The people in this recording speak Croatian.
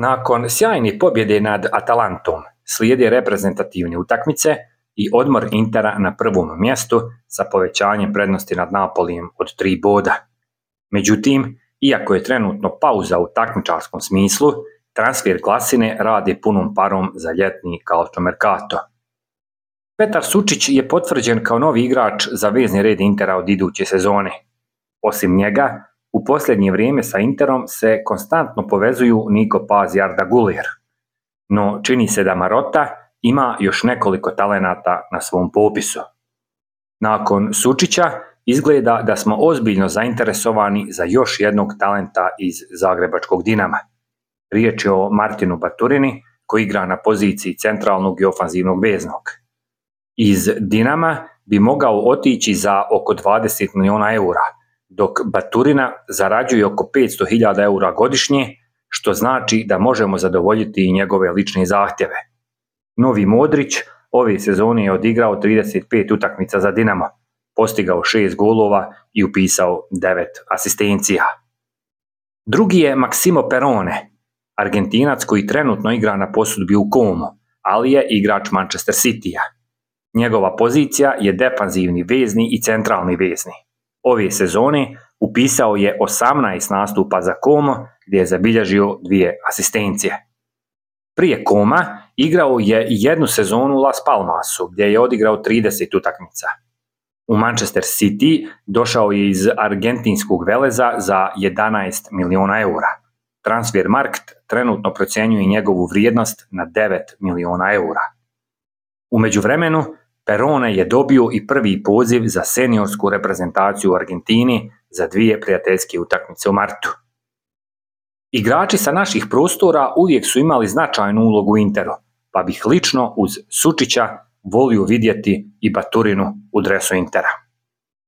Nakon sjajne pobjede nad Atalantom slijede reprezentativne utakmice i odmor Intera na prvom mjestu sa povećanjem prednosti nad Napolijem od 3 boda. Međutim, iako je trenutno pauza u takmičarskom smislu, transfer glasine radi punom parom za ljetni calciomercato. Petar Sučić je potvrđen kao novi igrač za vezni red Intera od iduće sezone. Osim njega, u posljednje vrijeme sa Interom se konstantno povezuju Niko Paz i Arda Güler, no čini se da Marotta ima još nekoliko talenata na svom popisu. Nakon Sučića izgleda da smo ozbiljno zainteresovani za još jednog talenta iz zagrebačkog Dinama. Riječ je o Martinu Baturini koji igra na poziciji centralnog i ofanzivnog veznog. Iz Dinama bi mogao otići za oko 20 milijuna eura, dok Baturina zarađuje oko 500.000 eura godišnje, što znači da možemo zadovoljiti i njegove lične zahtjeve. Novi Modrić ove sezone je odigrao 35 utakmica za Dinamo, postigao 6 golova i upisao 9 asistencija. Drugi je Maximo Perrone, Argentinac koji trenutno igra na posudbi u Como, ali je igrač Manchester Citya. Njegova pozicija je defanzivni vezni i centralni vezni. Ove sezone upisao je 18 nastupa za Como gdje je zabilježio 2 asistencije. Prije Coma igrao je jednu sezonu u Las Palmasu gdje je odigrao 30 utakmica. U Manchester City došao je iz argentinskog veleza za 11 milijuna eura. Transfermarkt trenutno procjenjuje njegovu vrijednost na 9 milijuna eura. U međuvremenu, Perrone je dobio i prvi poziv za seniorsku reprezentaciju u Argentini za 2 prijateljske utakmice u martu. Igrači sa naših prostora uvijek su imali značajnu ulogu u Interu, pa bih lično uz Sučića volio vidjeti i Baturinu u dresu Intera.